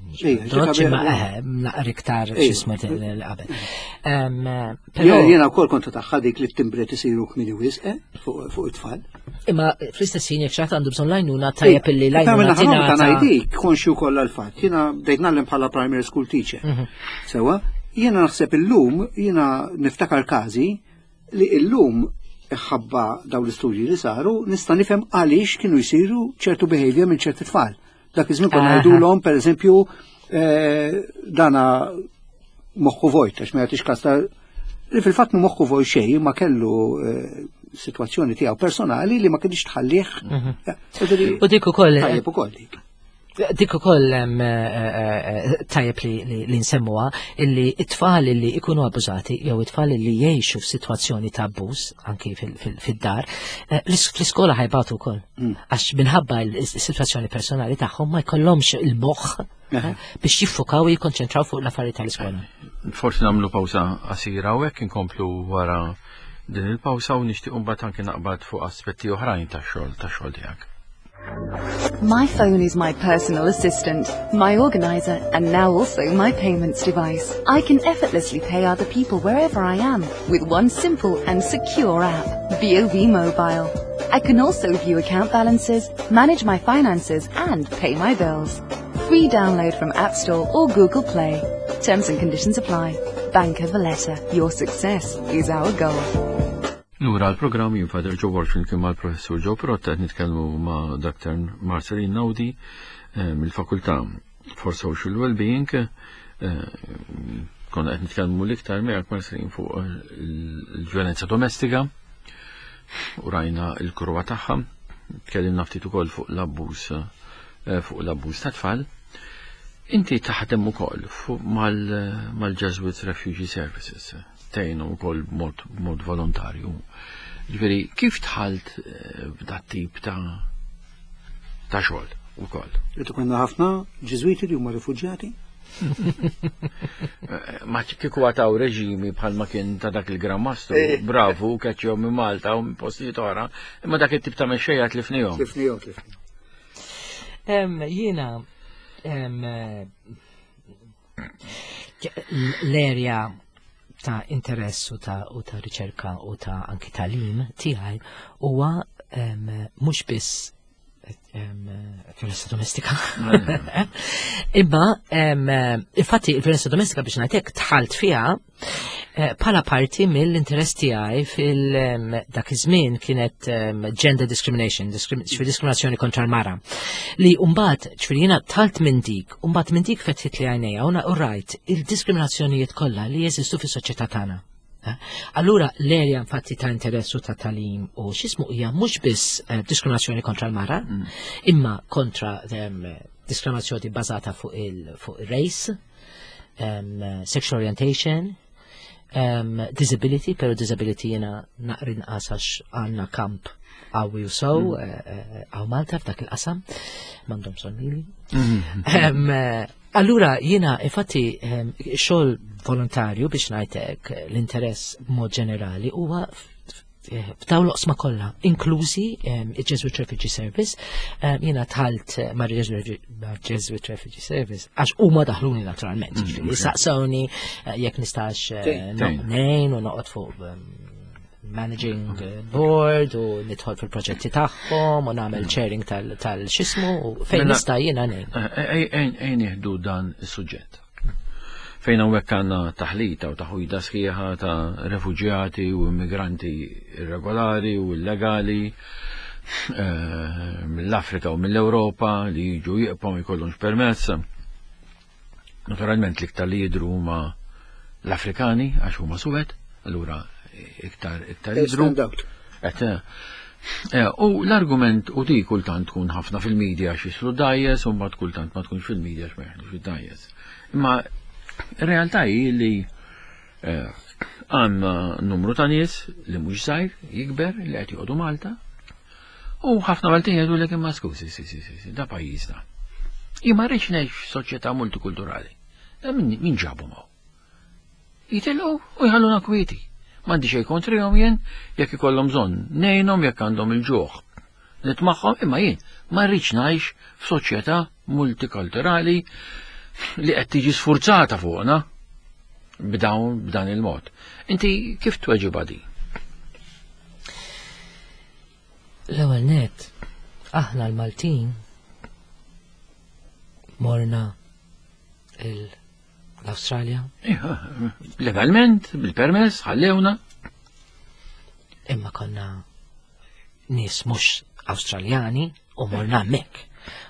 Doċ ma eħe, naqra iktar xismu qabel. Però jiena wkoll kont tagħha dik li t-timbret isiru kmini wisq eh, fuq it-tfal. Imma fl-istess ħin jekk xi għandu bżonn lajnuna tajjeb illi lajnuna tingħata. Ta' ngħidik konxju kollha l-fatt. Jiena bdejt nagħlem bħala primary school teacher. Mhm. Sewa, jiena naħseb illum jiena niftakar każi li illum ħabba daw l-istudji li saru nista' nifhem għaliex kienu jsiru ċertu behavior minn ċerti tfal. Dak iż-żmien konna ngħidulhom pereżempju eh, dana moħħu vojt għax ma jagħtix kas li fil-fatt mu moħħu vojt xejn ma kellu eh, situazzjoni tiegħu personali li ma kienx tħallih. Mhm. U dik ukoll. Tajjeb ukoll dik. Dik ukoll eh, tajjeb li nsemmuha illi it-tfal li ikunu abbużati jew it-tfal li jgħixu f'sitwazzjoni ta' abbuż anki fid-dar, fl-iskola ħajbatu wkoll. Mm. Għax minħabba l-situazzjoni personali tagħhom ma jkollhomx il-moħħ eh, biex jiffukaw u jikkonċentraw fuq l-affarijiet tal-iskola. Forsi nagħmlu pawsa qasira u hekk inkomplu wara din il-pawsa u nixtieq mbagħad anke naqbad fuq aspetti oħrajn tax-xogħol tax-xogħol tiegħek. My phone is my personal assistant, my organizer, and now also my payments device. I can effortlessly pay other people wherever I am with one simple and secure app, BOV Mobile. I can also view account balances, manage my finances, and pay my bills. Free download from App Store or Google Play. Terms and conditions apply. Bank of Valletta, your success is our goal. Lura l-programm jien Father Joe Borg flimkien mal-Professur Joe Pirotta qed nitkellmu ma' Dr. Marceline Naudi eh, mill-Fakultà for Social Wellbeing. Eh, konna qed nitkellmu l-iktar miegħek Marceline fuq il-vjolenza domestika u rajna l-kurwa tagħha. Tkellimna ftit ukoll fuq l-abbuż eh, fuq l-abbuż ta' tfal. Inti taħdem ukoll mal-Jesuit Refugee Services tgħinu wkoll b'mod b'mod volontarju. Ġifieri kif dħalt eh, f'dat tip ta' ta' xogħol ukoll? Qed ikollna ħafna Ġiżwiti li huma rifuġjati? Eh, ma kieku għataw reġimi bħalma kien ta' dak il-Gran Mastru, eh. bravu, keċċew minn Malta u minn postijiet oħra, imma dak it-tip ta' mexxejja tlifnihom. Tlifnihom, tlifnihom. Jiena l-erja ta' interess u ta' u ta' riċerka u ta' anki talim tiegħi huwa mhux biss violenza domestika. Imma infatti il-violenza domestika biex ngħidlek tħalt fiha Eh, pala parti mill-interess tiegħi fil dak iż-żmien kienet gender discrimination, diskriminazzjoni kontra l-mara. Li mbagħad ġifieri jiena talt minn dik, mbagħad minn dik fetħit li għajnejja u rajt il-diskriminazzjonijiet kollha li jeżistu fis-soċjetà tagħna. Eh, allura l-erja infatti ta' interess u ta' talim u x'ismu hija mhux biss eh, diskriminazzjoni kontra l-mara, mm. imma kontra diskriminazzjoni bbażata fuq il-race, um, sexual orientation, um, disability, pero disability jena naqrin għax għanna kamp għawi u sow, mm. eh, eh, għaw Malta f'dak il-qasam, mandom sonnili. Mm. Um, eh, allura jena infatti um, xogħol volontarju biex ngħidlek l-interess b'mod ġenerali huwa f'dawn l-oqsma kollha, inklużi ehm, il-Jesuit Refugee Service, ehm, jiena tħalt eh, ma' Jesuit Refugee Service, għax huma daħluni naturalment, mm, ġifieri saqsawni eh, jekk nistax eh, nejn u noqgħod fuq ehm, managing board u nidħol fil-proġetti tagħhom u nagħmel mm. chairing tal-xismu u fejn mela, nista' jiena nejn. Ejn nieħdu dan is-suġġett. Fejn hawnhekk għandna taħlita u taħwida sħiħa ta' refuġjati u immigranti irregolari u illegali eh, mill-Afrika u mill-Ewropa li jiġu jiqpom jkollhomx permess. Naturalment l-iktar li jidru huma l-Afrikani għax huma suwed, allura iktar iktar jidru. Eh, eh, u l-argument u di kultant tkun ħafna fil-medja għax jislu dajjes u mbagħad kultant ma tkunx fil-medja għax ma jeħdux id-dajjes. Imma r-realtà hi li eh, għandna numru ta' nies li mhux żgħir jikber li qed joqogħdu Malta u ħafna Maltin jgħidu lek imma skużi, si, si, si, da pajjiżna. Jien ma rridx ngħix f'soċjetà multikulturali. Min ġabu ma' Jitilqu u jħalluna kwieti. M'għandi xejn kontrihom jien jekk ikollhom bżonn ngħinhom jekk għandhom il-ġuħ. Nitmagħhom imma jien ma rridx ngħix f'soċjetà multikulturali li qed tiġi sfurzata fuqna b'dawn b'dan il-mod. Inti kif tweġibha di? L-ewwel net, aħna l-Maltin morna il l-Awstralja? Legalment, bil-permess, ħallewna. Imma konna nies mhux Awstraljani u morna hemmhekk.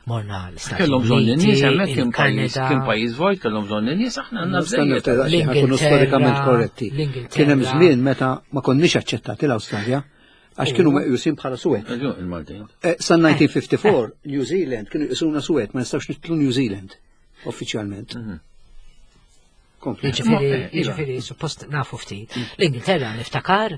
Morna l-Istati Kellhom bżonn in-nies hemmhekk kien pajjiż kien pajjiż vojt, kellhom bżonn in-nies aħna għandna bżonn. Nkunu storikament korretti. Kien hemm żmien meta ma konniex aċċettati l-Awstralja għax kienu meqjusin bħala suwed. Eh, Sa 1954 New Zealand kienu jqisuna suwed, ma nistgħux nitlu New Zealand. uffiċjalment. Mhm. Jiġifieri, eh, jiġifieri, suppost nafu ftit. Mm. L-Ingilterra niftakar,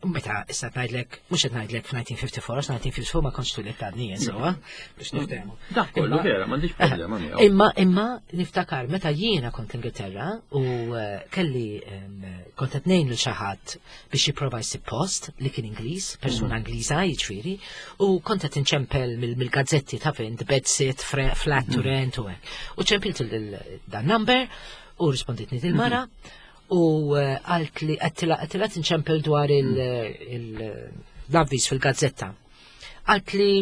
meta issa ngħidlek, mhux qed ngħidlek f'1954, 1954 ma kontx tulit għadni jien sewwa, biex mm. niftehmu. Dak kollu vera, m'għandix eh, problema miegħu. Imma imma niftakar meta jiena kont l-Ingilterra u eh, kelli kont qed ngħin lil xi ħadd biex jipprova jsib post li kien Ingliż, persuna mm. Ingliża jiġifieri, u kont qed inċempel mill-gazzetti ta' fejn bed sit, flat to mm. rent u hekk. U ċempilt dan number u risponditni dil-mara mm-hmm. u eh, għalt li għattila tinċempel dwar mm. l-avviż fil-gazzetta. Għalt li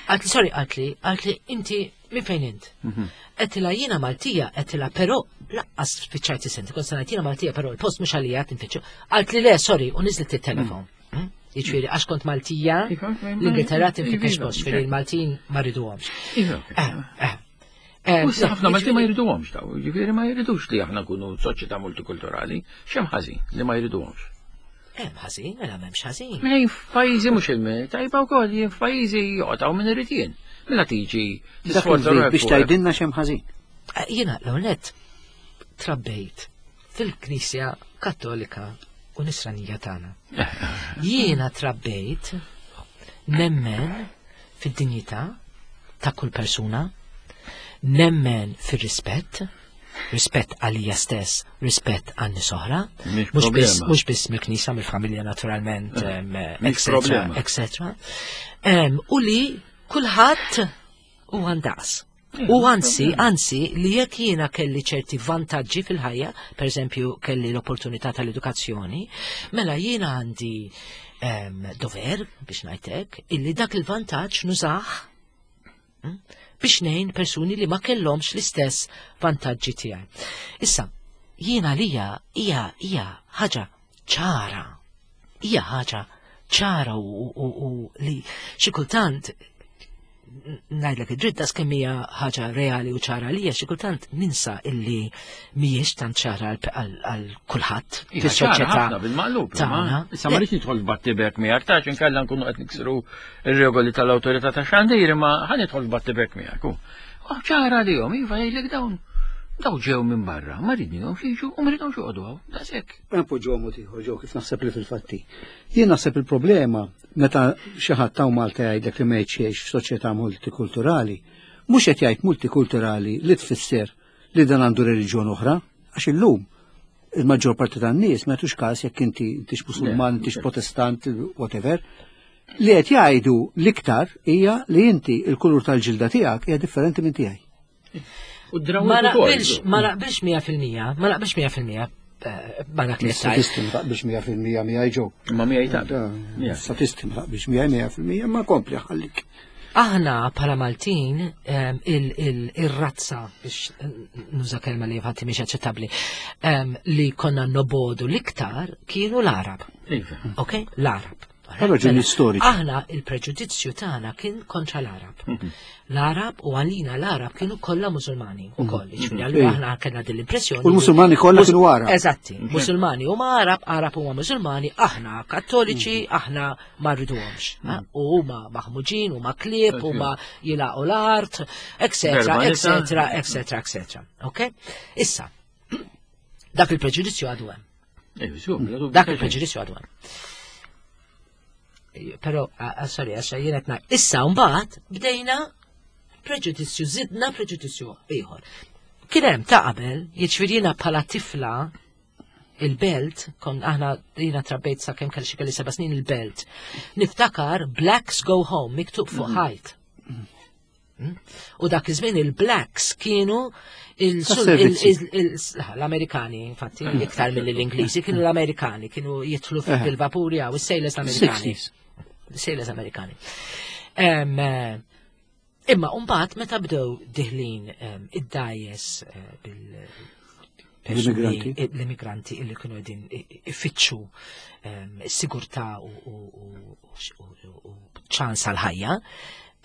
Għalt li, sorry, għalt li, għalt li, inti minn fejn int? Mhm. Għedtilha jiena Maltija, għedtilha però laqqas spiċċajt is-senti, kont sanajt jiena Maltija, però il-post mhux għalija tinfittxu. Għalt li le, sorry, u niżlet it-telefon. Mm. Hmm? Jiġifieri għax kont Maltija, iva, l-Ingilterra tinfittex post, ġifieri l-Maltin ma riduhomx. Iva. Eh, eh. Eh, u ħafna Maltin ma jriduhomx daw, jiġifieri ma jridux li aħna nkunu soċjetà multikulturali, x'hemm ħażin li ma jriduhomx. Hemm ħażin, mela m'hemmx ħażin. Mela f'pajjiżi mhux il tajba wkoll jien f'pajjiżi joqgħod hawn min irid jien. Mela tiġi tisforza biex tgħidilna x'hemm ħażin. Eh, jiena l-ewwel trabbejt fil-Knisja Kattolika u Nisranija tagħna. Jiena trabbejt nemmen fid-dinjità ta' kull persuna, nemmen fir-rispett, rispett għalija stess, rispett għan nies oħra, mhux biss mill-knisja, mill-familja naturalment, etc. etc. U li kulħadd u għandaqs. U anzi, anzi, li jekk jiena kelli ċerti vantaġġi fil-ħajja, per eżempju kelli l-opportunità tal-edukazzjoni, mela jiena għandi dover biex ngħidlek illi dak il-vantaġġ nużah hm, biex ngħin persuni li ma kellhomx l-istess vantaġġi tiegħi. Issa, jiena lija hija hija ħaġa ċara. Hija ħaġa ċara u, u, u li xi kultant ngħidlek id-dritt das kemm hija ħaġa reali u ċara għalija xi kultant ninsa illi mhijiex tant ċara għal kulħadd fis-soċjetà. Bil-maqlub, issa ma rridx nidħol battibek miegħek tax inkella nkunu qed niksru ir-regoli tal-awtorità ta' xandir imma ħa nidħol battibek miegħek. Oh, ċara għalihom, iva jgħidlek dawn daw ġew minn barra, ma ridnihom jiġu u ma ridhomx joqogħdu hawn, daqshekk. Npoġġuha mod ieħor ġew kif naħseb li fil-fatti. Jien naħseb il-problema meta xi ħadd hawn Malta jgħidlek li ma jgħix f'soċjetà multikulturali, mhux qed jgħid multikulturali li tfisser li dan għandu reliġjon oħra, għax illum il-maġġor parti tan-nies ma jagħtux każ jekk inti intix Musulman, intix Protestant, whatever. Li qed jgħidu l-iktar hija li inti il-kulur tal-ġilda tiegħek hija differenti minn tiegħi. Ma naqbilx, ma naqbilx 100%, ma naqbilx 100% eh, ma dak li Statisti ma taqbilx 100% miegħi ġew. Ma miegħi ta' Statisti ma taqbilx miegħi 100% ma kompli ħallik. Aħna bħala Maltin il-razza biex nuża kelma li fatti mhix aċċettabbli li konna nobodu l-iktar kienu l-Arab. Iva. Ok? L-Arab. Raġuni Mela, storiċi. Aħna il-preġudizzju tagħna kien kontra l-Arab. L-Arab u għalina l-Arab kienu kollha Musulmani ukoll. Jiġifieri allura aħna kellna din l-impressjoni. U l-Musulmani kollha kienu Arab. Eżatti, Musulmani huma Arab, Arab huma Musulmani, aħna Kattoliċi, aħna ma rriduhomx. U huma maħmuġin, huma klieb, huma jilaqu l-art, etc., Verba nisa. etc., etc., etc. Ok? Issa, dak il-preġudizzju għadu hemm. Eh, żgur, bla dubju Dak ta' xejn. il-preġudizzju għadu hemm. Però, sorry, għax jien qed ngħid. Issa mbagħad bdejna preġudizzju, zidna preġudizzju ieħor. Kien hemm ta' qabel, jiġifieri jiena bħala tifla il-belt, kon aħna jiena trabbejt sa kemm kelli xi kelli seba' snin il-belt. Niftakar Blacks Go Home miktub fuq ħajt. U dak iż-żmien il-blacks kienu il- Tas-servizzi. il- il- l-Amerikani, infatti, iktar mill l-Ingliżi, kienu l-Amerikani, kienu jitlu fil-vapuri għaw, is-sailors Amerikani. 60s. Sailors Amerikani. Em, Imma mbagħad meta bdew diħlin id-dajes bil L-immigranti. l-immigranti illi kienu qegħdin ifittxu sigurtà u ċans għal ħajja.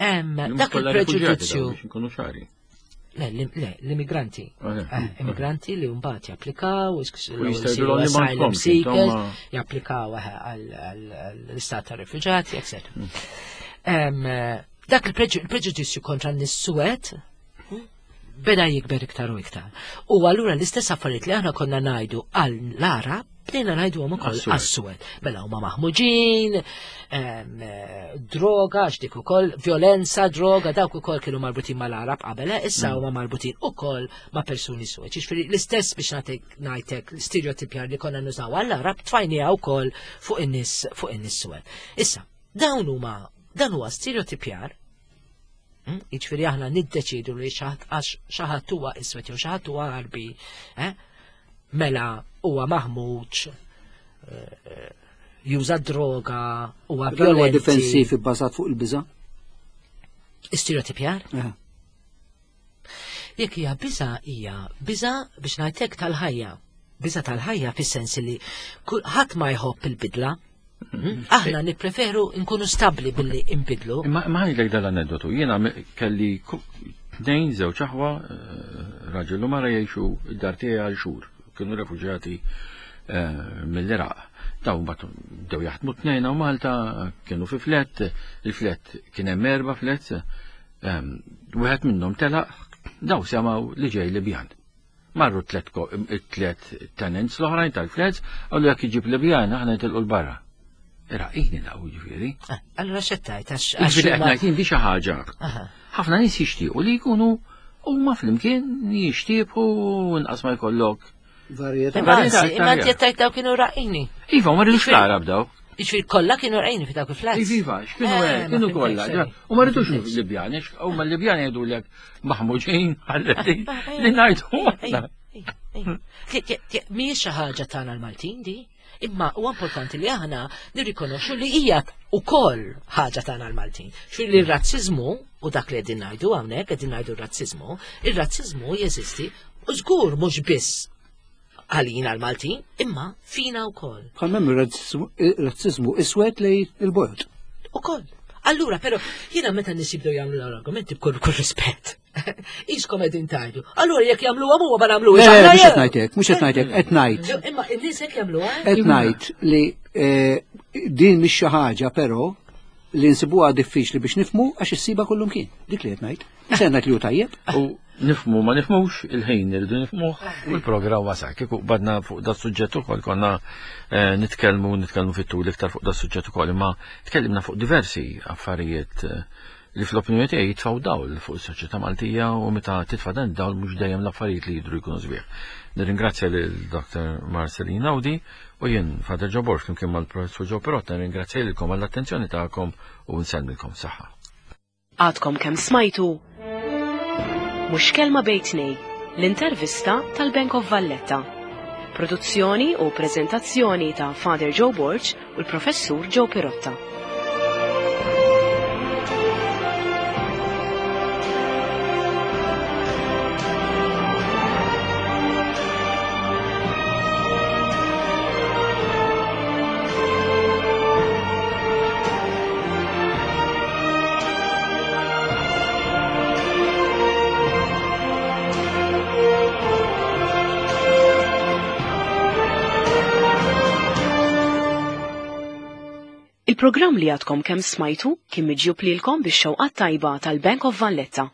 Mhux Dak kollha rifuġjati dawn, il-preġudizzju biex inkunu ċari. Le, le, l-immigranti. Ok. Immigranti li mbagħad japplikaw, U jistgħu li asylum m'għandkomx, seekers, insomma. japplikaw għall-istat ta' rifuġati, etc. Dak il-preġudizzju kontra n-nies beda jikber iktar u iktar. U allura l-istess affarijiet li aħna konna ngħidu għal l-Arab, bdejna ngħidu għom ukoll Għas-suwed. għas-suwed. Mela huma maħmuġin, droga, għax dik ukoll, violenza, droga, dawk ukoll kienu marbutin mal-Arab qabel, issa huma marbutin ukoll ma' persuni suwed. Jiġifieri l-istess biex nagħtik ngħidlek l-stereotipjar li konna nużaw għall-Arab tfajniha wkoll fuq in-nies fuq in-nies suwed. Issa, dawn huma dan huwa stereotipjar. Jiġifieri aħna niddeċidu li xi ħadd għax xi ħadd huwa iswed jew xi ħadd huwa Għarbi, eh? Mela huwa maħmuġ, juża droga, huwa Dan huwa violenti. difensiv ibbażat fuq il-biża'. Stereotipjar? Jekk hija biża' hija biża' biex ngħidlek tal-ħajja. Biża' tal-ħajja fis-sens li ħadd ma jħobb il-bidla. Aħna nippreferu nkunu stabbli billi nbidlu. Imma imma ħa ngħidlek dal-aneddotu, jiena kelli tnejn żewġ aħwa, raġel u mara jgħixu id-dar tiegħi għal xhur, kienu refuġjati mill-Iraq. Daw mbagħad bdew jaħdmu tnejn hawn Malta, kienu fi flat, il-flat kien hemm erba' flats, wieħed minnhom telaq, daw semgħu li ġej Libjan. Marru tlet tenants l-oħrajn tal-flats, qalu jekk iġib Libjan aħna nitilqu 'l barra. Iraqini daw jiġifieri. Allura x'qed tgħid għax Jiġifieri qed huma- ngħid jien di xi ħaġa. Ħafna nies jixtiequ li jkunu huma flimkien jixtiequ inqas ma jkollok. Varjetà. Imma Varjetà anzi, imma iktar inti qed tgħid daw kienu raqini. Iva, ma rridux l-Arab daw. Jiġifieri kollha kienu raqini fi dawk il-flats. Iva, iva, x'kienu hekk, Ma kienu fimtekx, kollha. sorry. U ma rridux Libjani, huma l-Libjani jgħidulek maħmuġin ħalli li ngħidu aħna. Mhijiex xi ħaġa tagħna l-Maltin di, imma huwa importanti li aħna nirrikonoxxu li hija ukoll ħaġa tagħna l-Maltin. Xi li r-razziżmu u dak li qegħdin ngħidu hawnhekk qegħdin ngħidu r-razziżmu, ir-razziżmu jeżisti u żgur mhux biss għalina l-Maltin, imma fina wkoll. Bħal m'hemm ir-razziżmu iswed lejn il-bojod. Ukoll. Allura, però, jiena meta nies jibdew jagħmlu l-argumenti b'kull kull rispett. Iskom qegħdin tgħidu. Allura jekk jagħmluha huwa ma nagħmluhiex. Le, aħna mhux qed jew. ngħidlek, mhux qed ngħidlek, qed ngħid. Imma n-nies hekk jagħmluha. Qed ngħid li din mhix xi ħaġa però li nsibuha diffiċli biex nifhmu għax issiba kullum kien. Dik li qed ngħid. Mhux qed ngħid li hu tajjeb. U nifhmu ma nifhmux, il-ħin irridu nifhmuh u l-programm wasal. Kieku badna fuq da suġġett ukoll konna nitkellmu fit-tul iktar fuq da suġġett ukoll, imma tkellimna fuq diversi affarijiet li fl-opinjoni tiegħi jitfgħu dawl fuq is-soċjetà Maltija u meta titfa' dan id-dawl mhux dejjem l-affarijiet li jidhru jkunu sbieħ. Nirringrazzja lil Dr. Marcelline Audi u jien Father Joe Borg flimkien mal-Professur Joe Pirotta nirringrazzja lilkom għall-attenzjoni tagħkom u nsellmilkom saħħa. Għadkom kemm smajtu Mhux Kelma Bejn Tnejn, l-intervista tal-Bank of Valletta. Produzzjoni u prezentazzjoni ta' Father Joe Borg u l-Professur Joe Pirotta. Il-programm li għadkom kemm smajtu kien miġjub lilkom bix-xewqat tajba tal-Bank of Valletta.